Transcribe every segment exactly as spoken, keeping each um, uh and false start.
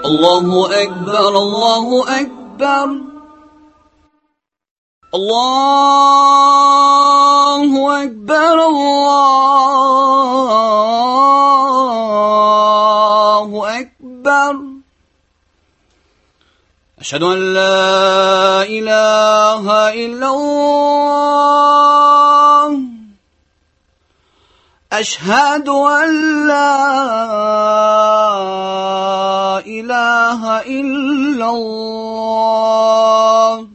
الله أكبر الله أكبر الله أكبر الله أكبر أشهد أن لا إله إلا الله أشهد أن لا إله إلا الله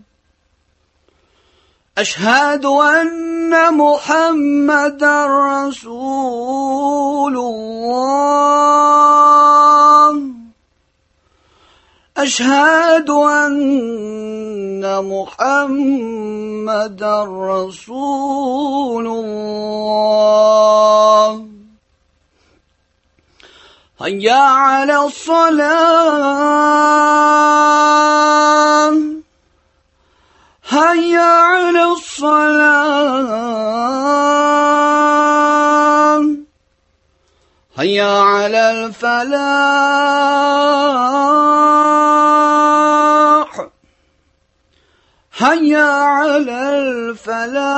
أشهد أن محمدا رسول الله أشهد أن محمدا رسول الله هيا على الصلاة هيا على الصلاة هيا على الفلاح هيا على الفلاح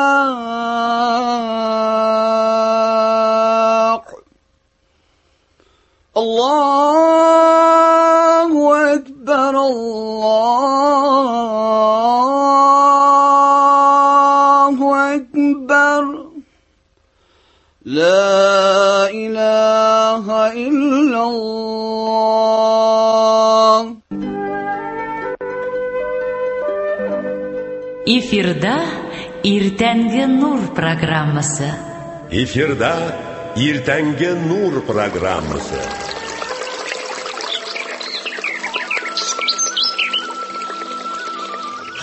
الله أكبر الله أكبر لا إله إلا الله. Эфирда Иртәнге Нур программасы. Эфирда Иртәнге Нур программасы.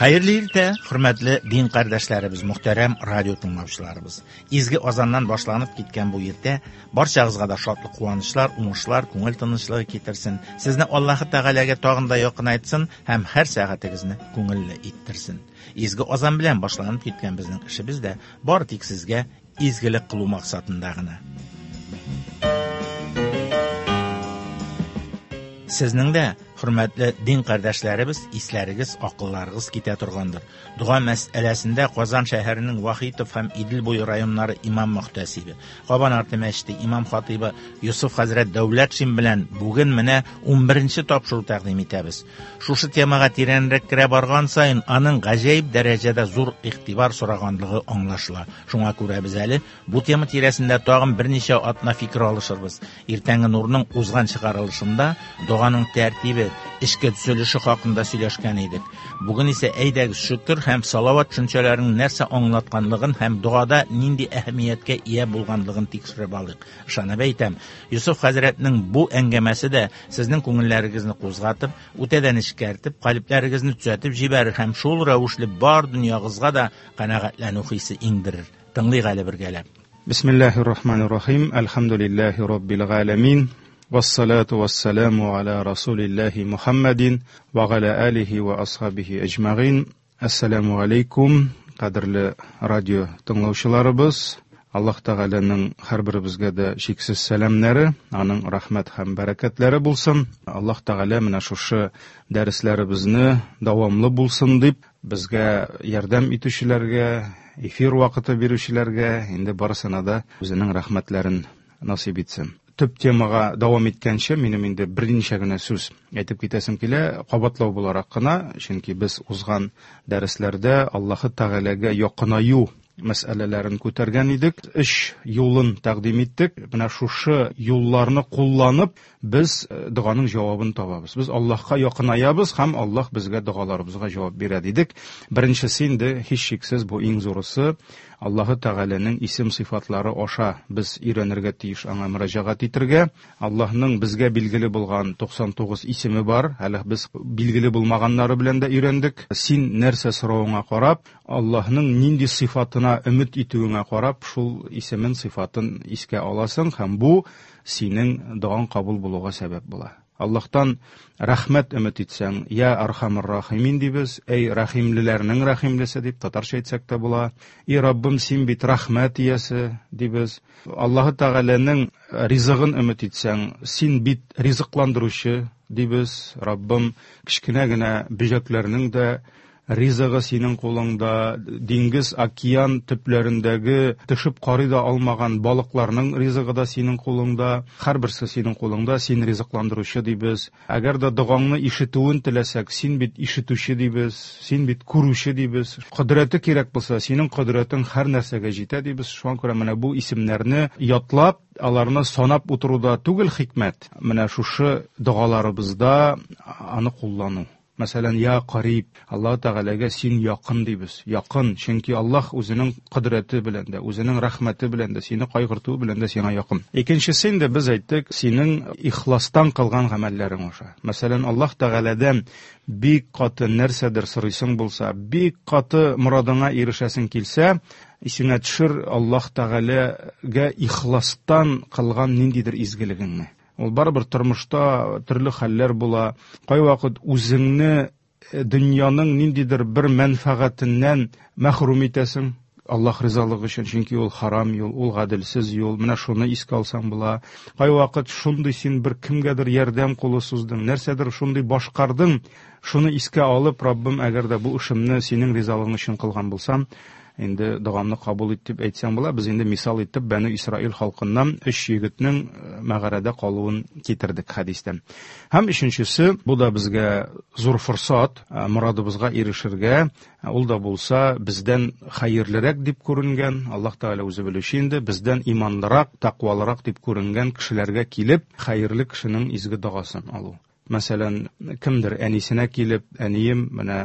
Хәерле иртә, хөрмәтле дин кардәшләребез, мөхтәрәм радио тыңлаучыларыбыз. Изге азаннан башланып киткән бу иртә барчагызга да шатлык, куанычлар, уңышлар, күңел тынычлыгы китерсен. Сезне Аллаһы Тәгаләгә тагын да якынайтсын һәм һәр сәгатегезне күңелле иттерсен. Изге азан белән башланып киткән безнең эшебез дә бары тик сезгә изгелек кылу максатында гына. Сезнең дә, хөрмәтле дин кардәшләребез, исләрегез, акылларыгыз китә торгандыр. Дога мәсьәләсендә Казан шәһәренең Вахитов һәм Идел буе районнары имам мөхтәсибе, Кабан арты мәчете имам хатибы Юсуф хәзрәт Дәүләтшин белән бүген менә унберенче тапшыру тәкъдим итәбез. Шушы темага тирәнрәк керә барган саен аның гаҗәеп дәрәҗәдә зур игътибар сораганлыгы аңлашыла. Шуңа күрә без әле бу тема тирәсендә тагын берничә атна фикер алышырбыз. Иртәнге Нурның узган чыгарылышында доганың тәртибе, эшкә төзелеше хакында сөйләшкән идек. Бүген исә әйдәгез шөкер һәм салават төшенчәләренең нәрсә аңлатканлыгын һәм догада нинди әһәмияткә ия булганлыгын тикшереп алыйк. Ышанып әйтәм, Юсуф хәзрәтнең бу әңгәмәсе дә сезнең күңелләрегезне кузгатып, үтәдән эшкәртеп, калебләрегезне төзәтеп җибәрер һәм шул рәвешле бар дөньягызга да канәгатьләнү хисе иңдерер. Тыңлыйк әле бергәләп. Бисмиллаһир-рахманир-рахим. Әлхәмдүлиллаһи раббил галәмин. والصلاة والسلام على رسول الله محمد وعلى آله وأصحابه أجمعين. Ассаламу алейкум, кадерле радио тыңлаучыларыбыз. Аллаһ Тәгаләнең һәрберебезгә дә чиксез сәламнәре, аның рәхмәт һәм бәрәкәтләре булсын. Аллаһ Тәгалә менә шушы дәресләребезне дәвамлы булсын дип, безгә ярдәм итүчеләргә, эфир вакыты бирүчеләргә инде барысына да үзенең рәхмәтләрен насыйп итсен. Төп темага дәвам иткәнче, минем инде берничә генә сүз әйтеп китәсем килә, кабатлау буларак кына, чөнки без узган дәресләрдә Аллаһы Тәгаләгә якынаю мәсьәләләрен күтәргән идек, өч юлын тәкъдим иттек. Менә шушы юлларны кулланып, без доганың җавабын табабыз. Без Аллаһка якынаябыз һәм Аллаһ безгә догаларыбызга җавап бирә дидек. Беренчесе инде һичшиксез бу иң зурысы, Аллаһы Тәгаләнең исем сыйфатлары аша без өйрәнергә тиеш, аңа мөрәҗәгать итәргә. Аллаһның безгә билгеле булган туксан тугыз исеме бар, әле без билгеле булмаганнары белән дә өйрәндек. Син нәрсә соравыңа карап, Аллаһның нинди сыйфатына өмет итүеңә карап, шул исемен, сыйфатын искә аласың һәм бу синең догаң кабул булуга сәбәп була. Аллаһтан рәхмәт өмет итсәң, я архамыр рахимин дибез, эй рәхимлеләрнең рәхимлесе дип татарча әйтсәк тә була. И Раббым, син бит рәхмәт иясе дибез. Аллаһы Тәгаләнең ризыгын өмет итсәң, син бит ризыкландыручы дибез. Раббым, кечкенә генә бөҗәкләрнең дә ризыгы синең кулыңда, диңгез, океан төпләрендәге төшеп карый да алмаган балыкларның ризыгы да синең кулыңда, һәрберсе синең кулыңда, син ризыкландыручы дибез. Әгәр дә догаңны ишетүен теләсәк, син бит ишетүче дибез, син бит күрүче дибез. Кодрәте кирәк булса, синең кодрәтең һәр нәрсәгә җитә дибез. Шуңа күрә менә бу исемнәрне ятлап, аларны санап утыруда түгел хикмәт. Менә шушы догаларыбызда аны куллану. Мәсәлән, я кариб, Аллаһ Тәгаләгә син якын дибез. Якын, чөнки Аллаһ үзенең кодрәте белән дә, үзенең рәхмәте белән дә, сине кайгыртуы белән дә сиңа якын. Икенчесе инде без әйттек, синең ихластан кылган гамәлләрең аша. Мәсәлән, Аллаһ Тәгаләдән бик каты нәрсәдер сорыйсың булса, бик каты морадыңа ирешәсең килсә, исеңә төшер Аллаһ Тәгаләгә ихластан кылган ниндидер изгелегеңне. Ул барыбер тормышта төрле хәлләр була. Кайвакыт үзеңне дөньяның ниндидер бер мәнфәгатеннән мәхрүм итәсең Аллаһ ризалыгы өчен, чөнки ул харам юл, ул гаделсез юл. Менә шуны искә алсаң була. Кайвакыт шундый син бер кемгәдер ярдәм кулы суздың, нәрсәдер шундый башкардың, шуны искә алып, Раббым, әгәр дә бу эшемне синең ризалыгың өчен кылган булсам, инде догамны кабул ит дип әйтсәң була. Без инде мисал итеп Бәну Исраил халкыннан өч егетнең мәгарәдә калуын китердек хәдистән. Һәм өченчесе, бу да безгә зур форсат, морадыбызга ирешергә, ул да булса бездән хәерлерәк дип күренгән, Аллаһ Тәгалә үзе белүче инде, бездән иманлырак, тәкъвалырак дип күренгән кешеләргә килеп, хәерле кешенең изге догасын алу. Мәсәлән, кемдер әнисенә килеп, әнием, менә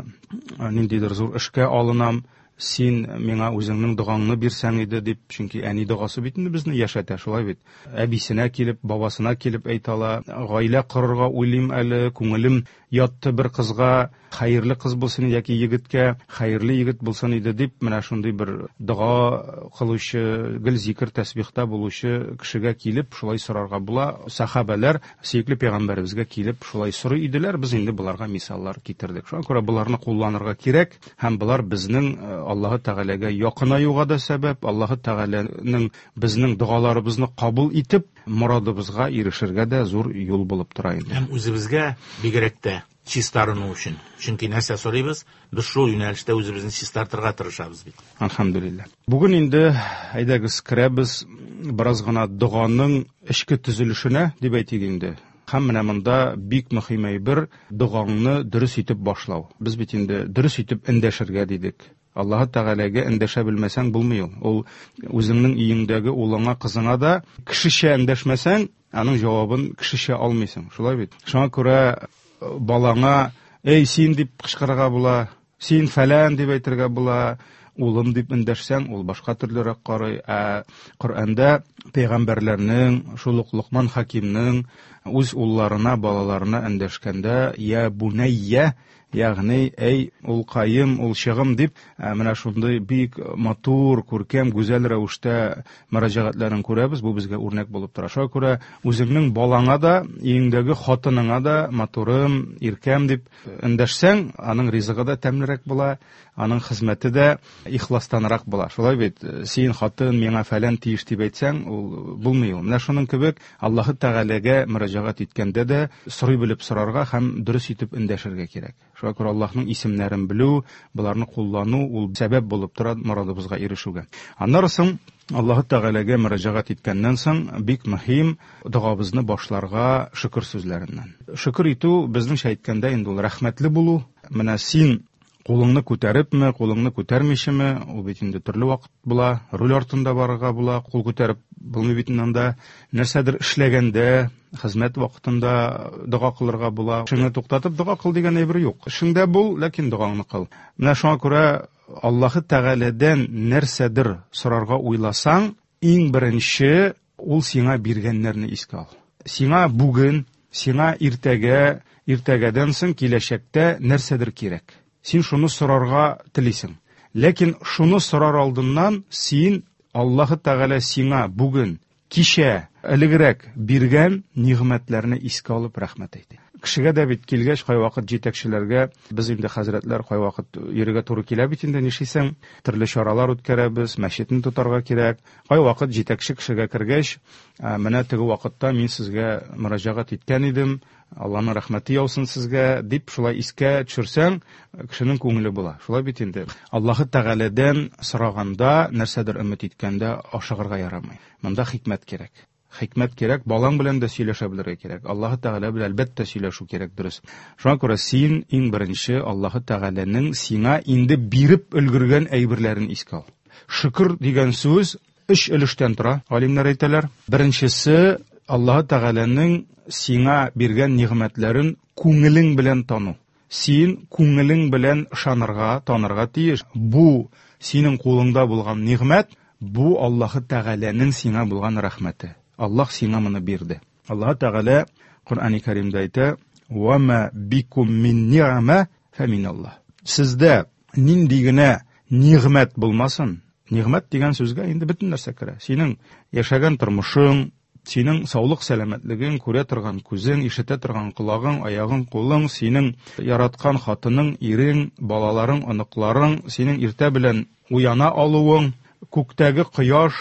ниндидер зур эшкә алынам, син миңа үзеңнең догаңны бирсәң иде дип, чөнки әни догасы бит инде безне яшәтә, шулай бит. Әбисенә килеп, бабасына килеп әйтә ала, гаилә корырга уйлыйм әле, күңелем ятты бер кызга, хәерле кыз булсын яки егеткә, хәерле егет булсын иде дип, менә шундый бер дога кылучы, гел зикер тәсбихта булучы кешегә килеп шулай сорарга була. Сахабәләр сөекле пәйгамбәребезгә килеп шулай сорый иделәр. Без инде боларга мисаллар китердек. Шуңа күрә боларны кулланырга кирәк һәм болар безнең Аллаһы Тәгаләгә якынаюга да сәбәп, Аллаһы Тәгаләнең безнең догаларыбызны кабул итеп, морадыбызга ирешергә дә зур юл булып тора инде. Һәм үзебезгә бигрәк тә чистарыну өчен. Чөнки нәрсә сорыйбыз, без шул юнәлештә үзебезне чистартырга тырышабыз бит. Әлхәмдүлилләһ. Бүген инде әйдәгез керәбез бераз гына доганың эчке төзелешенә дип әйтик инде. Һәм менә монда бик мөһим әйбер догаңны дөрес итеп башлау. Без бит инде дөрес итеп эндәшергә дидек. Аллаһы Тәгаләгә эндәшә белмәсәң булмый ул. Ул үзеңнең өеңдәге улыңа, кызыңа да кешечә эндәшмәсәң, аның җавабын кешечә алмыйсың. Шулай бит. Шуңа күрә балаңа "Эй, син" дип кычкырырга була, "Син фәлән" дип әйтергә була, улым дип эндәшсәң, ул башка төрлерәк карый. Ә Коръәндә пәйгамбәрләрнең, шул ук Лукман Хакимнең үз улларына, балаларына эндәшкәндә "Я бунайя", ягъни эй улкаем, улчыгым дип, менә шундый бик матур, күркәм, гүзәл рәвештә мөрәҗәгатьләрен күрәбез. Бу безгә үрнәк булып тора. Шуңа күрә үзеңнең балаңа да, өеңдәге хатыныңа да матурым, иркәм дип эндәшсәң, аның ризыгы да тәмлерәк була, аның хезмәте дә ихластанрак була. Шулай бит, син хатын миңа фәлән тиеш дип әйтсәң, ул булмый ул. Менә шуның кебек Аллаһы Тәгаләгә мөрәҗәгать иткәндә дә сорый белеп сорарга һәм дөрес итеп эндәшергә кирәк. Шуңа күрә Аллаһның исемнәрен белү, боларны куллану ул сәбәп булып тора морадыбызга ирешүгә. Аннары соң Аллаһы Тәгаләгә мөрәҗәгать иткәннән соң бик мөһим догабызны башларга шөкер сүзләреннән. Шөкер итү безнеңчә әйткәндә инде ул рәхмәтле булу. Менә син кулыңны күтәрепме, кулыңны күтәрмичеме, ул бит инде төрле вакыт була, руль артында барырга була, кул күтәреп булмый бит инде анда. Нәрсәдер эшләгәндә, хезмәт вакытында дога кылырга була. Эшеңне туктатып дога кыл дигән әйбер юк. Эшеңдә бул, ләкин догаңны кыл. Менә шуңа күрә Аллаһы Тәгаләдән нәрсәдер сорарга уйласаң, иң беренче ул сиңа биргәннәрне искә ал. Сиңа бүген, сиңа иртәгә, иртәгәдән соң киләчәктә нәрсәдер кирәк. Син шуны сорарга телисең. Ләкин шуны сорар алдыннан син Аллаһы Тәгалә сиңа бүген Кичә элегрәк биргән нигъмәтләрне искә алып рәхмәт әйтә. Кешегә дә бит килгәч кайвакыт җитәкчеләргә, без инде хәзрәтләр кайвакыт йөрергә туры килә бит инде, нишлисең? Төрле чаралар үткәрәбез, мәчетне тотарга кирәк. Кайвакыт җитәкче кешегә кергәч, менә теге вакытта мин сезгә мөрәҗәгать иткән идем, Аллаһның рәхмәте яусын сезгә, дип шулай искә төшерсәң, кешенең күңеле була. Шулай бит инде. Аллаһы Тәгаләдән сораганда, нәрсәдер өмет иткәндә ашыгырга ярамый. Монда хикмәт кирәк. Хикмәт кирәк, балаң белән дә сөйләшә белергә кирәк. Аллаһы Тәгалә белән әлбәттә сөйләшү кирәк, дөрес. Шуңа күрә син иң беренче Аллаһы Тәгаләнең сиңа инде биреп өлгергән әйберләрен искә ал. Шөкер дигән сүз өч өлештән тора, галимнәр әйтәләр. Беренчесе Аллаһы Тәгаләнең сиңа биргән нигъмәтләрен күңелең белән тану. Син күңелең белән ышанырга, танырга тиеш. Бу синең кулыңда булган нигъмәт, бу Аллаһы Тәгаләнең сиңа булган рәхмәте. Аллаһ сиңа моны бирде. Аллаһ Тәгалә Коръәни Кәримдә әйтә: "Ва ма бикум мин ни'ма фа миналлаһ". Сездә нинди генә нигъмәт булмасын, нигъмәт дигән сүзгә инде бөтен нәрсә керә. Синең яшәгән тормышың, синең саулык сәламәтлегең, күрә торган күзең, ишетә торган колагың, аягың, кулың, синең яраткан хатының, ирең, балаларың, оныкларың, синең иртә белән уяна алуың, күктәге кояш,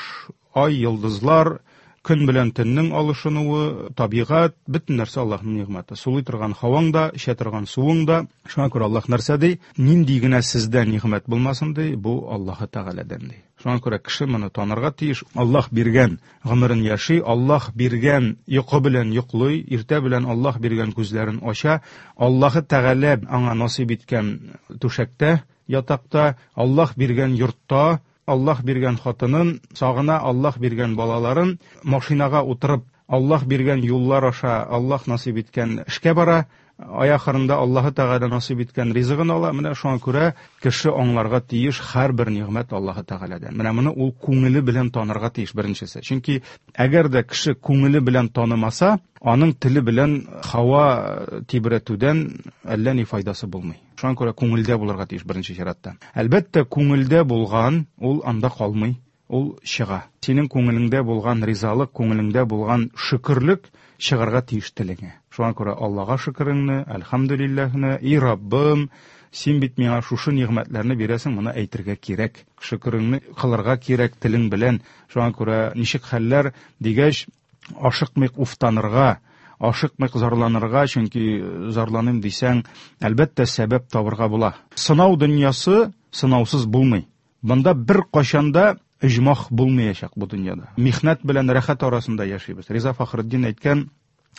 ай, йолдызлар, көн белән төннең алышынуы, табигать, бөтен нәрсә Аллаһның нигъмәте. Сулый торган һаваң да, эчә торган суың да. Шуңа күрә Аллаһ нәрсә ди? Нинди генә сездә нигъмәт булмасын ди, бу Аллаһы Тәгаләдән ди. Шуңа күрә кеше моны танырга тиеш. Аллаһ биргән гомерен яши, Аллаһ биргән йокы белән йоклый, иртә белән Аллаһ биргән күзләрен ача, Аллаһы Тәгалә аңа насыйп иткән түшәктә, ятакта, Аллаһ биргән йортта, Аллаһ биргән хатынын сагына, Аллаһ биргән балаларын, машинага утырып, Аллаһ биргән юллар аша Аллаһ насыйп иткән эшкә бара, ай ахырында Аллаһы Тәгалә насыйп иткән ризыгын ала. Менә шуңа күрә кеше аңларга тиеш һәрбер нигъмәт Аллаһы Тәгаләдән. Менә моны ул күңеле белән танырга тиеш беренчесе. Чөнки әгәр дә кеше күңеле белән танымаса, аның теле белән һава тибрәтүдән әллә ни файдасы булмый. Шуңа күрә күңелдә булырга тиеш беренче чиратта. Әлбәттә, күңелдә булган ул анда калмый, ул чыга. Синең күңелеңдә булган ризалык, күңелеңдә булган шөкерлек чыгарга тиеш телеңә. Шуңа күрә Аллаһка шөкереңне, әлхәмдүлилләһне, и Раббым, син бит миңа шушы нигъмәтләрне бирәсең, моны әйтергә кирәк. Шөкереңне кылырга кирәк телең белән. Шуңа күрә ничек хәлләр дигәч, ашыкмыйк уфтанырга, ашыкмыйк зарланырга, чөнки зарланым дисәң, әлбәттә сәбәп табырга була. Сынау дөньясы сынаусыз булмый. Монда бер кайчан да иҗмах булмаячак бу дөньяда. Михнәт белән рәхәт арасында яшибез. Риза Фахретдин әйткән,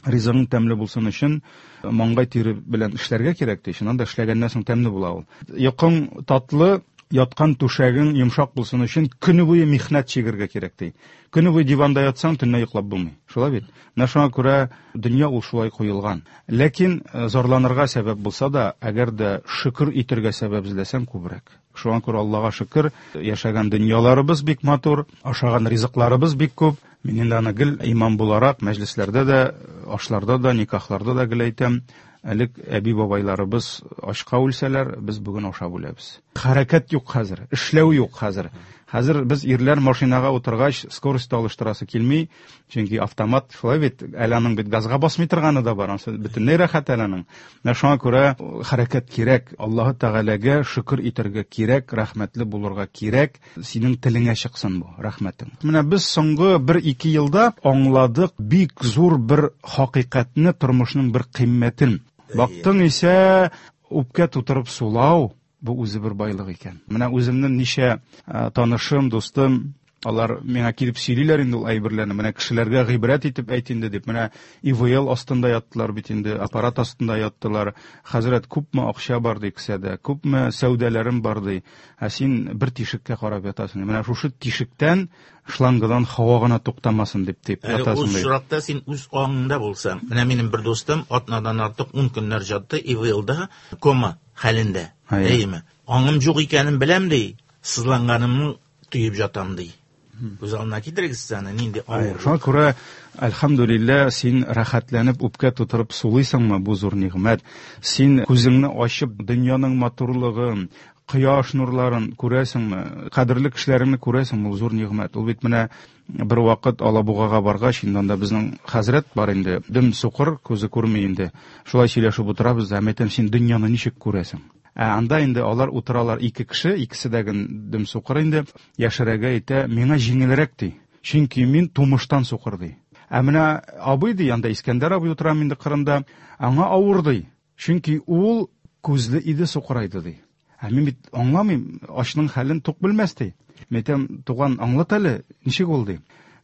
ризыгың тәмле булсын өчен маңгай тире белән эшләргә кирәк ди. Чыннан да эшләгәннән соң тәмле була ул. Йокың татлы, яткан түшәгең йомшак булсын өчен көне буе михнәт чигергә кирәк ди. Көне буе диванда ятсаң, төнлә йоклап булмый. Шулай бит? Менә шуңа күрә дөнья ул шулай куелган. Ләкин зарланырга сәбәп булса да, әгәр дә шөкер итәргә сәбәп эзләсәң күбрәк. Шуңа күрә Аллаһка шөкер, яшәгән дөньяларыбыз бик матур, ашаган ризыкларыбыз бик күп. Мин инде аны гел имам буларак мәҗлесләрдә дә, ашларда да, никахларда да гел әйтәм. Элек әби-бабайларыбыз ашка үлсәләр, без бүген ашап үләбез. Хәрәкәт юк хәзер, эшләү юк хәзер. Хәзер без ирләр машинага утыргач, скорость алыштырасы килми, чөнки автомат шулай бит, әле аның бит газга басмый торганы да бар, анысы бөтенләй рәхәт әле аның. Менә шуңа күрә хәрәкәт кирәк, Аллаһы Тәгаләгә шөкер итәргә кирәк, рәхмәтле булырга кирәк, синең телеңә чыксын бу рәхмәтең. Менә без соңгы бер-ике елда аңладык бик зур бер хакыйкатьне, тормышның бер кыйммәтен. Бактың исә үпкә тутырып сулау, бу үзе бер байлык икән. Менә үземнең ничә, э, танышым, дустым, алар миңа килеп сөйлиләр инде ул әйберләрне. Менә кешеләргә гыйбрәт итеп әйт инде дип. Менә И В Л астында яттылар бит инде, аппарат астында яттылар. Хәзрәт, күпме акча бар ди кесәдә, күпме сәүдәләрем бар ди. Ә син бер тишеккә карап ятасың. Менә шушы тишектән шлангадан һава гына туктамасын дип дип Әле ятасың ул ди. очракта син үз аңыңда булсаң. Менә минем бер дустым атнадан артык ун көннәр ятты И В Л-да кома хәлендә. Әйе. Әйеме? Аңым юк икәнен беләм ди, сызланганымны тоеп жатам ди. Күз алдына китерегез сез аны, нинди авыр. Шуңа күрә, әлхәмдүлилләһ, син рәхәтләнеп үпкә тутырып сулыйсыңмы, бу зур нигъмәт. Син күзеңне ачып дөньяның матурлыгын, Кояш нурларын күрәсеңме? Кадерле кешеләреңне күрәсеңме? Ул зур нигъмәт. Ул бит менә бер вакыт Алабугага баргач, инде анда безнең хәзрәт бар инде, дөм сукыр, күзе күрми инде. Шулай сөйләшеп утырабыз да, әйтәм, син дөньяны ничек күрәсең? Ә анда инде алар утыралар ике кеше, икесе дә дөм сукыр инде. Яшерәгә әйтә, миңа җиңелрәк ди. Чөнки мин тумыштан сукыр ди. Ә менә абый ди, анда Искәндәр абый утыра инде кырында, аңа авыр ди. Чөнки ул күзле иде, сукырайды ди. Ә мин бит аңламыйм, ачның хәлен тук белмәс ди. Мин әйтәм, туган, аңлат әле, ничек ул ди.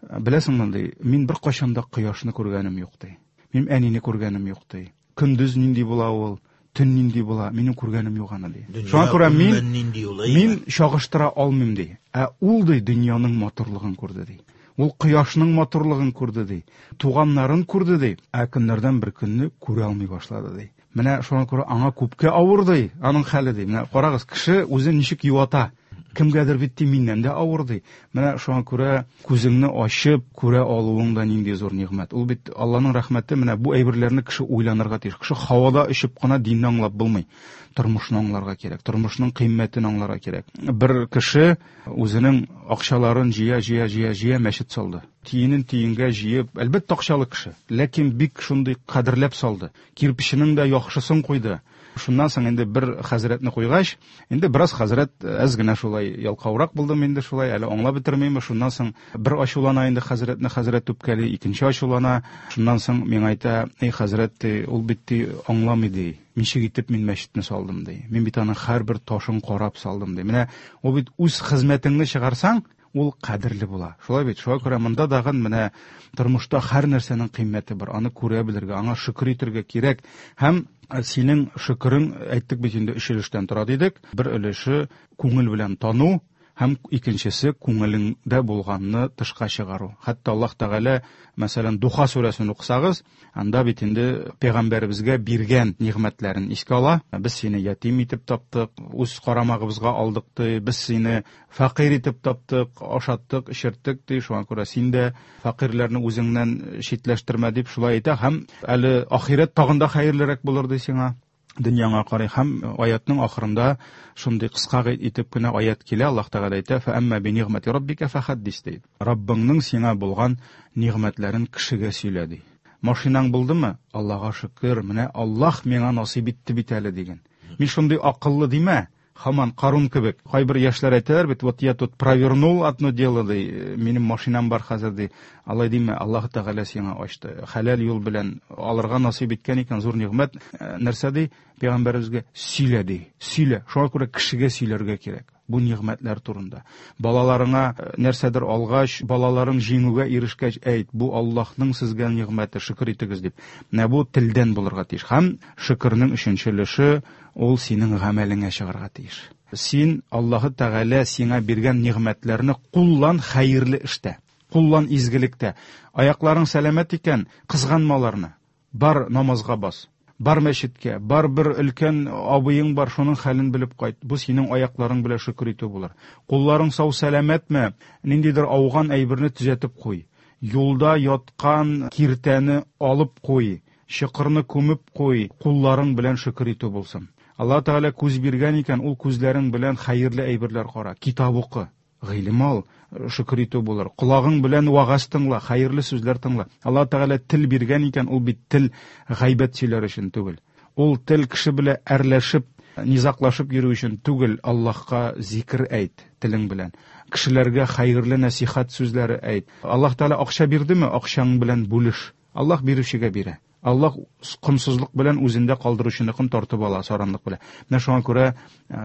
Беләсеңме ди, мин бер кайчан да кояшны күргәнем юк ди. Мин әнине күргәнем юк ди. Көндез нинди була ул, төн нинди була, минем күргәнем юк аны ди. Шуңа күрә мин мин чагыштыра алмыйм ди. Ә ул ди дөньяның матурлыгын күрде ди. Ул кояшның матурлыгын күрде ди. Туганнарын күрде ди. Ә көннәрдән бер көнне күрә алмый башлады ди. Менә шуңа күрә аңа күпкә авыр ди, аның хәле ди. Менә карагыз, кеше үзен ничек юата. Кемгәдер бит ди, миннән дә авыр ди. Менә шуңа күрә күзеңне ачып күрә алуың да нинди зур нигъмәт. Ул бит Алланың рәхмәте. Менә бу әйберләрне кеше уйланырга тиеш. Кеше һавада очып кына динне аңлап булмый. Тормышны аңларга кирәк, тормышның кыйммәтен аңларга кирәк. Бер кеше үзенең акчаларын җыя, җыя, җыя, җыя мәчет салды. Тиенен тиенгә җыеп, әлбәттә акчалы кеше, ләкин бик шундый кадерләп салды. Кирпеченең дә яхшысын куйды. Шуннан соң инде бер хәзрәтне куйгач, инде бераз хәзрәт әз генә шулай ялкаурак булдым инде шулай, әле аңлап бетермим. Шуннан соң бер ачулана инде хәзрәтне, хәзрәт үпкәли, икенче ачулана. Шуннан соң миңа әйтә, эй хәзрәт, ди, ул бит ди аңламый ди. Ничек итеп мин мәчетне салдым ди. Мин бит аның һәрбер ташын карап салдым ди. Менә ул бит үз хезмәтеңне чыгарсаң, ул кадерле була. Шулай бит, шуңа күрә монда дагын менә тормышта һәр нәрсәнең кыйммәте бар. Аны күрә белергә, аңа шөкер итәргә кирәк. Һәм синең шөкерең, әйттек бит инде, өч өлештән тора дидек. Бер өлеше күңел белән тану, һәм икенчесе күңелеңдә булганны тышка чыгару. Хәтта Аллаһ Тәгалә, мәсәлән, Духа сүрәсен укысагыз, анда бит инде пәйгамбәребезгә биргән нигъмәтләрен искә ала. Без сине ятим итеп таптык, үз карамагыбызга алдык ди, без сине фәкыйрь итеп таптык, ашаттык, эчерттек ди. Шуңа күрә син дә фәкыйрьләрне үзеңнән читләштермә дип шулай әйтә. Һәм әле ахирәт тагын да хәерлерәк булыр ди сиңа. Дөньяңа карый. Һәм аятның ахырында шундый кыска итеп кенә аят килә. Аллаһ Тәгалә әйтә: "Фә әмма би нигъмәти раббика фәхаддис" ди. Раббыңның сиңа булган нигъмәтләрен кешегә сөйлә ди. Машинаң булдымы? Аллаһка шөкер, менә Аллаһ миңа насыйп итте бит әле диген. Мин шундый акыллы димә, һаман Карун кебек. Кайбер яшьләр әйтәләр бит, вот я тут провернул одно дело ди, минем машинам бар хәзер ди. Алай димә, Аллаһ Тәгалә сиңа ачты. Хәләл юл белән алырга насыйп иткән икән, зур нигъмәт. Нәрсә ди? Пәйгамбәребезгә сөйлә ди. Сөйлә. Шуңа күрә кешегә сөйләргә кирәк бу нигъмәтләр турында. Балаларыңа нәрсәдер алгач, балаларың җиңүгә ирешкәч, әйт, бу Аллаһның сезгә нигъмәте, шөкер итегез дип. Менә бу телдән булырга тиеш. Һәм шөкернең өченче өлеше ул синең гамәлеңә чыгарга тиеш. Син Аллаһы Тәгалә сиңа биргән нигъмәтләрне куллан хәерле эштә, куллан изгелектә. Аякларың сәламәт икән, кызганма аларны. Бар намазга бас. Бар мәчеткә, бар бер өлкән абыең бар, шуның хәлен белеп кайт. Бу синең аякларың белән шөкер итү булыр. Кулларың сау сәламәтме, ниндидер ауган әйберне төзәтеп куй. Юлда яткан киртәне алып куй, чокырны күмеп куй, кулларың белән шөкер итү булсын. Аллаһ Тәгалә күз биргән икән, ул күзләрең белән хәерле әйберләр кара, китап укы, гыйлем ал, шөкер итү булыр. Колагың белән вагаз тыңла, хәерле сүзләр тыңла. Аллаһ Тәгалә тел биргән икән, ул бит тел гайбәт сөйләр өчен түгел. Ул тел кеше белән әрләшеп, низаклашып йөрү өчен түгел. Аллаһка зикр әйт телең белән. Кешеләргә хәерле нәсихәт сүзләре әйт. Аллаһ Тәгалә акча бирдеме, акчаң белән бүлеш. Аллаһ бирүчегә бирә. Аллаһ комсызлык белән үзендә калдыручыныкын тартып ала, саранлык белән. Менә шуңа күрә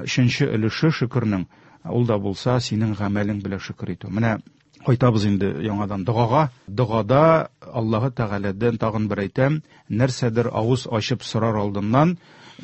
өченче өлеше шөкернең, ул да булса синең гамәлең белән шөкер итү. Менә кайтабыз инде яңадан догага. Догада Аллаһы Тәгаләдән тагын бер әйтәм, нәрсәдер авыз ачып сорар алдыннан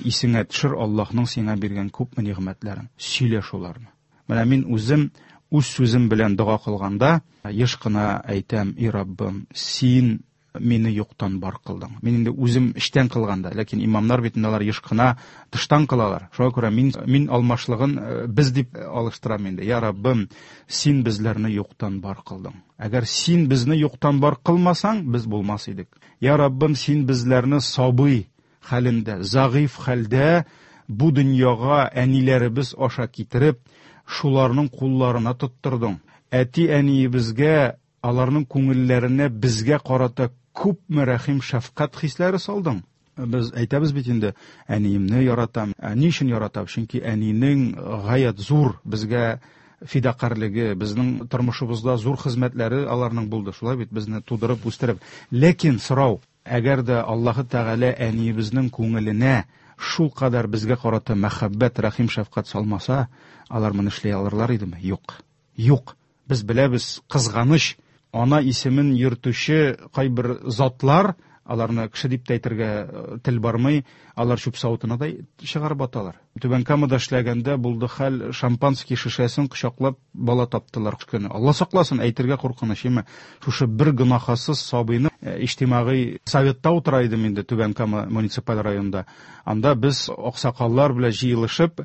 исеңә төшер Аллаһның сиңа биргән күпме нигъмәтләрен, сөйлә шуларны. Менә мин үзем үз сүзем белән дога кылганда еш кына әйтәм: "И Раббым, син мине юктан бар кылдың." Мин инде үзем эштән кылганда, ләкин имамнар бит инде алар еш кына тыштан кылалар. Шуңа күрә мин, мин алмашлыгын без дип алыштырам инде. Я Раббым, син безләрне юктан бар кылдың. Әгәр син безне юктан бар кылмасаң, без булмас идек. Я Раббым, син безләрне сабый хәлендә, зәгыйфь хәлдә бу дөньяга әниләребез аша китереп, шуларның кулларына тоттырдың. Әти-әниебезгә, аларның күңелләренә безгә карата күпме рәхим, шәфкать хисләре салдың. Без әйтәбез бит инде, әниемне яратам. Ә ни өчен яратам? Чөнки әнинең гаять зур безгә фидакарьлеге, безнең тормышыбызда зур хезмәтләре аларның булды. Шулай бит, безне тудырып, үстереп. Ләкин сорау, әгәр дә Аллаһы Тәгалә әниебезнең күңеленә шул кадәр безгә карата мәхәббәт, рәхим, шәфкать салмаса, алар моны эшли алырлар идеме? Юк. Юк. Без беләбез, кызганыч, ана исемен йөртүче кайбер затлар, аларны кеше дип тә әйтергә тел бармый, алар чүп савытына да чыгарып аталар. Түбән Камада эшләгәндә булды хәл, шампанский шешәсен кочаклап бала таптылар көне. Алла сакласын, әйтергә куркыныч, әмма шушы бер гөнаһсыз сабыйны иҗтимагый советта утыра идем инде Түбән Кама муниципаль районында. Анда без аксакаллар белән җыелышып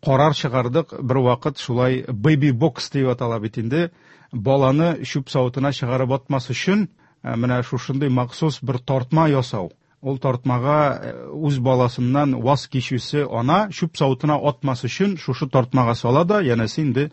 карар чыгардык. Бер вакыт шулай baby box дип атала бит инде, баланы чүп савытына чыгарып атмас өчен менә шушындый махсус бер тартма ясау. Ул тартмага үз баласыннан ваз кичүче ана чүп савытына атмас өчен шушы тартмага сала да, янәсе инде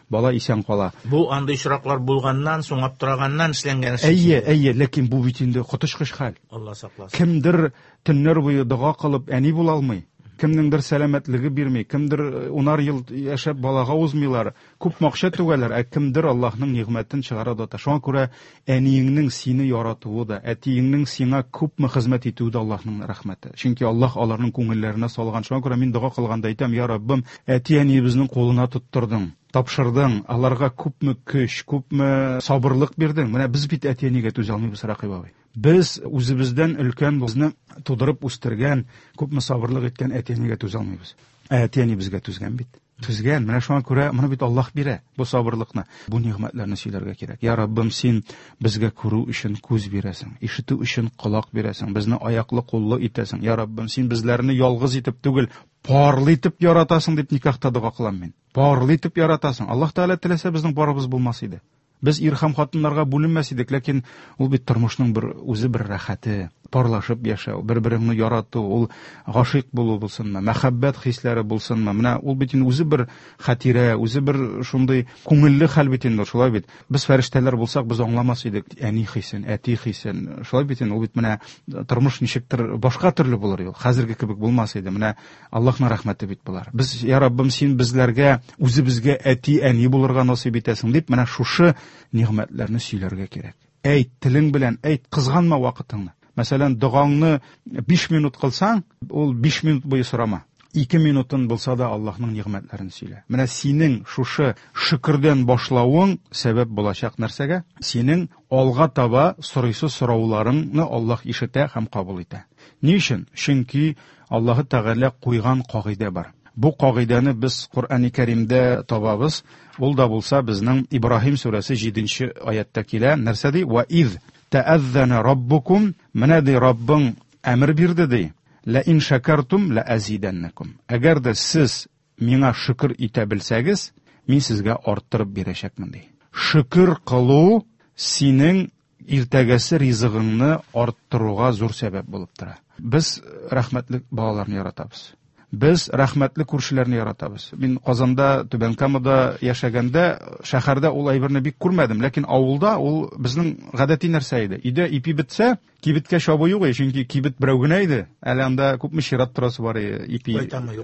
бала исән кала. Бу андый очраклар булганнан соң, аптыраганнан эшләнгән эш. Әйе, әйе, ләкин бу бит инде коточкыч хәл. Алла сакласын. Кемдер төннәр буе дога кылып әни була алмый. Кемнеңдер сәламәтлеге бирми, кемдер унар ел яшәп балага узмыйлар, күп акча түгәләр, ә кемдер Аллаһның нигъмәтен чыгара да. Шуңа күрә әниеңнең сине яратуы да, әтиеңнең сиңа күпме хезмәт итүе дә Аллаһның рәхмәте. Чөнки Аллаһ аларның күңелләренә салган. Шуңа күрә мин дога кылганда әйтәм: Я Раббым, әти-әниебезнең кулына тоттырдың, тапшырдың, аларга күпме көч, күпме сабырлык бирдең. Менә без бит әти-әнигә түзә алмыйбыз, Рәкыйп абый. Без үзебездән өлкән, безне тудырып үстергән, күпме сабырлык иткән әти-әнигә түзә алмыйбыз. Ә әти-әни безгә түзгән бит. Түзгән. Менә шуңа күрә моны бит Аллаһ бирә, бу сабырлыкны. Бу нигъмәтләрне сөйләргә кирәк. Я Раббым, син безгә күрү өчен күз бирәсең, ишетү өчен колак бирәсең, безне аяклы, куллы итәсең. Я Раббым, син безләрне ялгыз итеп түгел, парлы итеп яратасың дип никахта дога кылам мин. Парлы итеп яратасың. Аллаһ Тәгалә теләсә безнең парыбыз булмас иде. Без ир һәм хатыннарга бүленмәс идек, ләкин ул бит тормышның бер үзе бер рәхәте, парлашып яшәү, бер-береңне ярату, ул гашыйк булу булсынмы, мәхәббәт хисләре булсынмы, менә ул бит инде үзе бер хатирә, үзе бер шундый күңелле хәл бит инде, шулай бит. Без фәрештәләр булсак, без аңламас идек әни хисен, әти хисен, шулай бит инде, ул бит менә тормыш ничектер башка төрле булыр ул, хәзерге кебек булмас иде. Менә Аллаһның рәхмәте бит болар. Без, я Раббым, син безләргә, үзебезгә әти, әни булырга насыйп итәсең дип, менә шушы нигъмәтләрне сөйләргә кирәк. Әйт, телең белән әйт, кызганма вакытыңны. Мәсәлән, догаңны биш минут кылсаң, ул биш минут буе сорама. Ике минутын булса да Аллаһның нигъмәтләрен сөйлә. Менә синең шушы шөкердән башлавың сәбәп булачак нәрсәгә? Синең алга таба сорыйсы сорауларыңны Аллаһ ишетә һәм кабул итә. Ни өчен? Чөнки Аллаһы Тәгалә куйган кагыйдә бар. Бу кагыйдәне без Коръәни Кәримдә табабыз. Ул да булса безнең Ибраһим сүрәсе җиденче аятта килә. Нәрсә ди? Ва из тәәззәнә раббукум, менә ди Раббың әмер бирде ди. Ла ин шакартум ла азиданнакум. Әгәр дә сез миңа шөкер итә белсәгез, мин сезгә арттырып бирәчәкмен ди. Шөкер кылу синең иртәгәсе ризыгыңны арттыруга зур сәбәп булып тора. Без рәхмәтле балаларны яратабыз. Без рәхмәтле күршеләрне яратабыз. Мин Казанда, Түбән Камада яшәгәндә, шәһәрдә ул әйберне бик күрмәдем, ләкин авылда ул безнең гадәти нәрсә иде. Өйдә ипи бетсә, кибеткә чабу юк иде, чөнки кибет берәү генә иде. Әле анда күпме чират торасы бар иде ипи.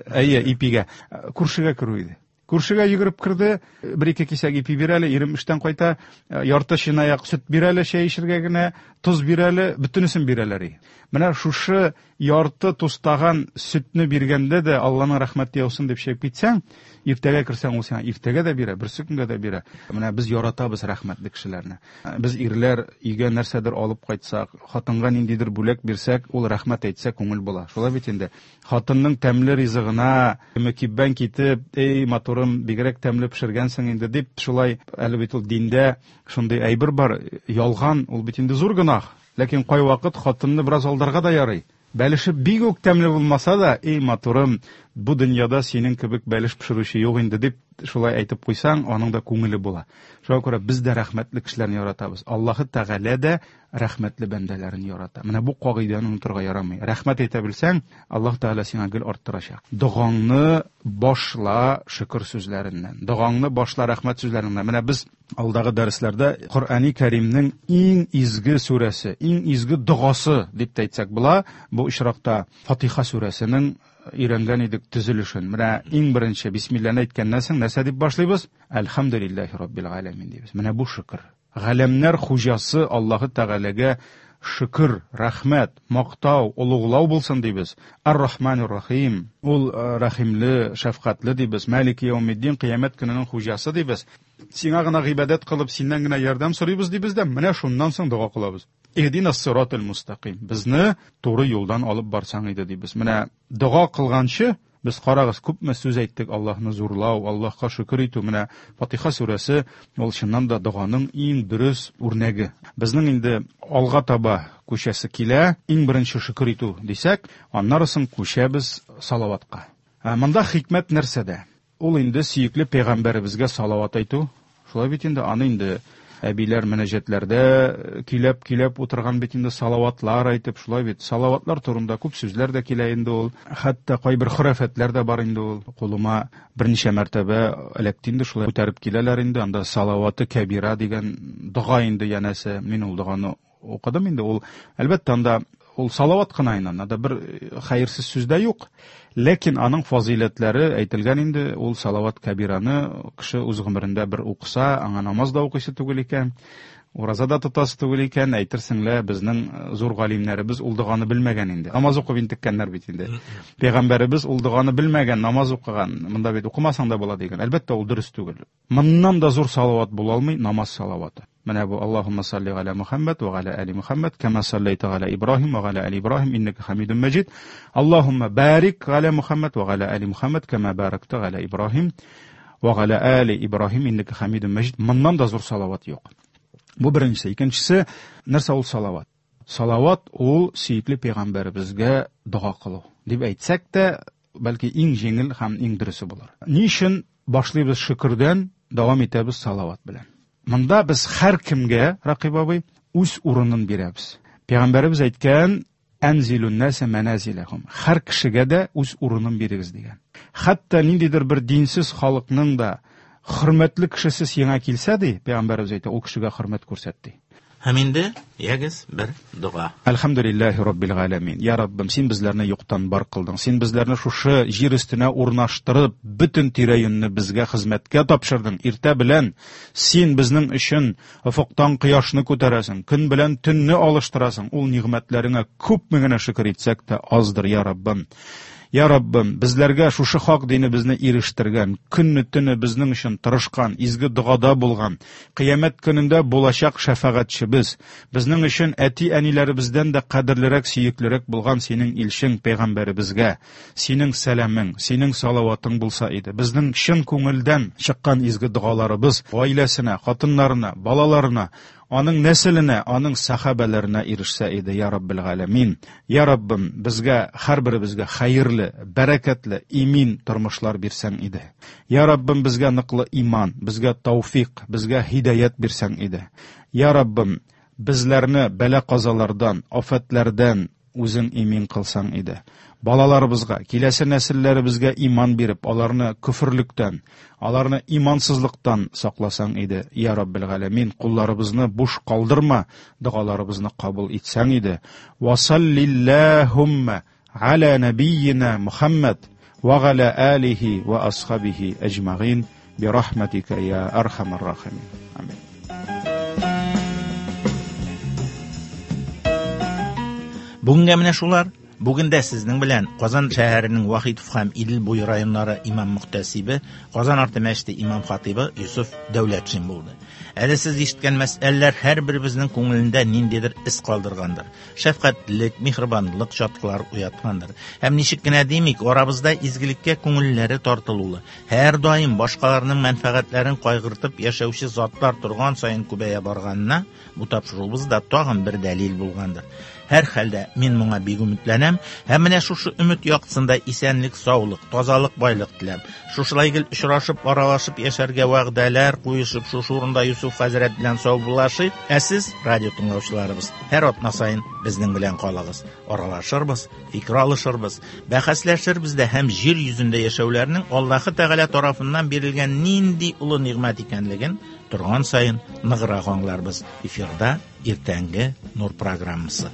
Әйе, ипигә. Күршегә керү иде. Күршегә йөгереп керде, бер-ике кисәк ипи бир әле, ирем эштән кайта, ярты чынаяк сөт бир әле, чәй эчергә генә, тоз бир әле, бөтенесен бирәләр. Менә шушы ярты тустаган сөтне биргәндә дә Алланың рәхмәте яусын дип чәйп китсәң, иртәгә керсәң, ул сиңа иртәгә дә бирә, берсе көнгә дә бирә. Менә без яратабыз рәхмәтле кешеләрне. Без ирләр өйгә нәрсәдер алып кайтсак, хатынга ниндидер бүләк бирсәк, ул рәхмәт әйтсә күңел була. Шулай бит инде. Хатынның тәмле ризыгына мөкиббән китеп, эй матурым, бигрәк тәмле пешергәнсең инде дип, шулай әле бит ул диндә шундый әйбер бар, ялган, ул бит инде зур гөнаһ. Ләкин кайвакыт хатынны бераз алдарга да ярый. Бәлеше бик үк тәмле булмаса да, эй матурым, Бу дөньяда синең кебек бәлеш пешерүче юк инде дип шулай әйтеп куйсаң, аның да күңеле була. Шуңа күрә без дә рәхмәтле кешеләрне яратабыз. Аллаһы Тәгалә дә рәхмәтле бәндәләрен ярата. Менә бу кагыйдәне онытырга ярамый. Рәхмәт әйтә белсәң, Аллаһ Тәгалә сиңа гел арттырачак. Догаңны башла шөкер сүзләреннән. Догаңны башла рәхмәт сүзләреннән. Менә без алдагы дәресләрдә Коръәни Кәримнең иң изге сүрәсе, иң изге догасы дип тә әйтсәк була. Бу очракта Фатиха сүрәсенең өйрәнгән идек төзелешен. Менә иң беренче бисмилләне әйткәннән соң нәрсә дип башлыйбыз? Әлхәмдүлилләһи раббил галәмин дибез. Менә бу шөкер. Галәмнәр хуҗасы Аллаһы Тәгаләгә шөкер, рәхмәт, мактау, олуглау булсын дибез. Ар-Рахманир Рахим, ул рәхимле, шәфкатьле дибез. Малики яумиддин, кыямәт көненең хуҗасы дибез. Сиңа гына гыйбадәт кылып, синнән генә ярдәм сорыйбыз дибез дә, менә шуннан соң дога кылабыз. Иһдинас сиратал мустаким. Безне туры юлдан алып барсаң иде дибез. Менә дога кылганчы без карагыз, күпме сүз әйттек Аллаһны зурлау, Аллаһка шөкер итү. Менә Фатиха сүрәсе ул чыннан да доганың иң дөрес үрнәге. Безнең инде алга таба күчәсе килә, иң беренче шөкер итү дисәк, аннары соң күчәбез салаватка. Монда хикмәт нәрсәдә? Ул инде сөекле пәйгамбәребезгә салават әйтү. Шулай бит инде, аны инде әбиләр мөнәҗәтләрдә көйләп-көйләп утырган бит инде, салаватлар әйтеп, шулай бит. Салаватлар турында күп сүзләр дә килә инде ул. Хәтта кайбер хөрәфәтләр дә бар инде ул. Кулыма берничә мәртәбә эләкте инде, шулай күтәреп киләләр инде. Анда салаваты кәбира дигән дога инде янәсе. Мин ул доганы укыдым инде. Ул әлбәттә анда ул салават кына инде, анда бер хәерсез сүз дә юк. Ләкин аның фазыйләтләре әйтелгән инде. Ул салават кәбираны кеше үз гомерендә бер укыса, аңа намаз да укыйсы түгел икән, ураза да тотасы түгел икән. Әйтерсең лә, безнең зур галимнәребез ул доганы белмәгән инде. Намаз укып интеккәннәр бит инде. Пәйгамбәребез ул доганы белмәгән, намаз укыган. Монда бит укымасаң да була дигән. Әлбәттә, ул дөрес түгел. Моннан да зур салават була алмый, намаз салаваты. Менә бу Аллаһумма салли галя Мухаммад ва галя али Мухаммад кама саллайта галя Ибраһим ва галя али Ибраһим иннака хамидум маҗид. Аллаһумма барик галя Мухаммад ва галя али Мухаммад кама баракта галя Ибраһим ва галя али Ибраһим иннака хамидум маҗид. Моннан да зур салават юк. Бу беренчесе. Икенчесе, нәрсә ул салават? Салават ул сөекле пәйгамбәребезгә дога кылу дип әйтсәк тә, бәлки иң җиңел һәм иң дөресе булыр. Ни өчен башлыйбыз шөкердән, дәвам итәбез салават белән? Монда без һәр кемгә, Ракыйп абый, үз урынын бирәбез. Пәйгамбәребез әйткән, әнзилун наса маназилахум. Һәр кешегә дә үз урынын бирегез дигән. Хәтта ниндидер бер динсез халыкның да хөрмәтле кешесе сиңа килсә ди, пәйгамбәребез әйтә, ул кешегә хөрмәт күрсәт ди. Һәм инде ягез бер дога. Әлхәмдүлилләһи раббил галәмин. Я Раббым, син безләрне юктан бар кылдың. Син безләрне шушы җир өстенә урнаштырып, бөтен тирә-юньне безгә хезмәткә тапшырдың. Иртә белән син безнең өчен офыктан кояшны күтәрәсең, көн белән төнне алыштырасың. Ул нигъмәтләреңә күпме генә шөкер итсәк тә аздыр, я Раббым. Я Раббым, безләргә шушы хак динебезне ирештергән, көнне төне безнең өчен тырышкан, изге догада булган, кыямәт көнендә булачак шәфәгатьчебез, безнең өчен әти-әниләребездән дә кадерлерәк, сөеклерәк булган синең илчең пәйгамбәребезгә синең сәламең, синең салаватың булса иде. Безнең чын күңелдән чыккан изге догаларыбыз гаиләсенә, хатыннарына, балаларына, аның нәселенә, аның сахабәләренә ирешсә иде, я Раббил галәмин. Я Раббым, безгә, һәрберебезгә хәерле, бәрәкәтле, имин тормышлар бирсәң иде. Я Раббым, безгә ныклы иман, безгә тауфик, безгә һидаят бирсәң иде. Я Раббым, безләрне бәла-казалардан, афәтләрдән үзең имин кылсаң иде. Балаларыбызга, киләсе нәселләребезгә иман биреп, аларны күферлектән, аларны имансызлыктан сакласаң иде. Я Раббил галәмин, кулларыбызны буш калдырма, догаларыбызны кабул итсәң иде. Ва саллиллахумма аля набийина Мухаммад ва аля алихи ва асхабихи аҗмагин би рахматика я архамар рахимин. Амин. Бүгенгә менә шулар. Бүген дә сезнең белән Казан шәһәренең Вахитов һәм Идел буе районнары имам мөхтәсибе, Казан арты мәчете имам хатибы Юсуф Дәүләтшин булды. Әле сез ишеткән мәсьәләләр һәрберебезнең күңелендә ниндидер эз калдыргандыр. Шәфкатьлек, миһербанлык чаткылар уяткандыр. Һәм ничек кенә димик, арабызда изгелеккә күңелләре тартылулы, һәр даим башкаларның мәнфәгатьләрен кайгыртып яшәүче затлар торган саен күбәя барганына бу тапшыруыбыз да тагын бер дәлил булгандыр. Һәр хәлдә мин моңа бик өметләнәм һәм менә шушы өмет яктысында исәнлек, саулык, тазалык, байлык теләп, шушылай гел очрашып, аралашып яшәргә вәгъдәләр куешып, шушы урында Юсуф хәзрәт белән саубуллашыйк. Ә сез, радио тыңлаучыларыбыз, һәр атна саен безнең белән калыгыз. Аралашырбыз, фикер алышырбыз, бәхәсләшербез дә һәм җир йөзендә яшәүләрнең Аллаһы Тәгалә тарафыннан бирелгән нинди олы нигъмәт икәнлеген торган саен ныграк аңларбыз. Эфирда иртәнге Нур программасы.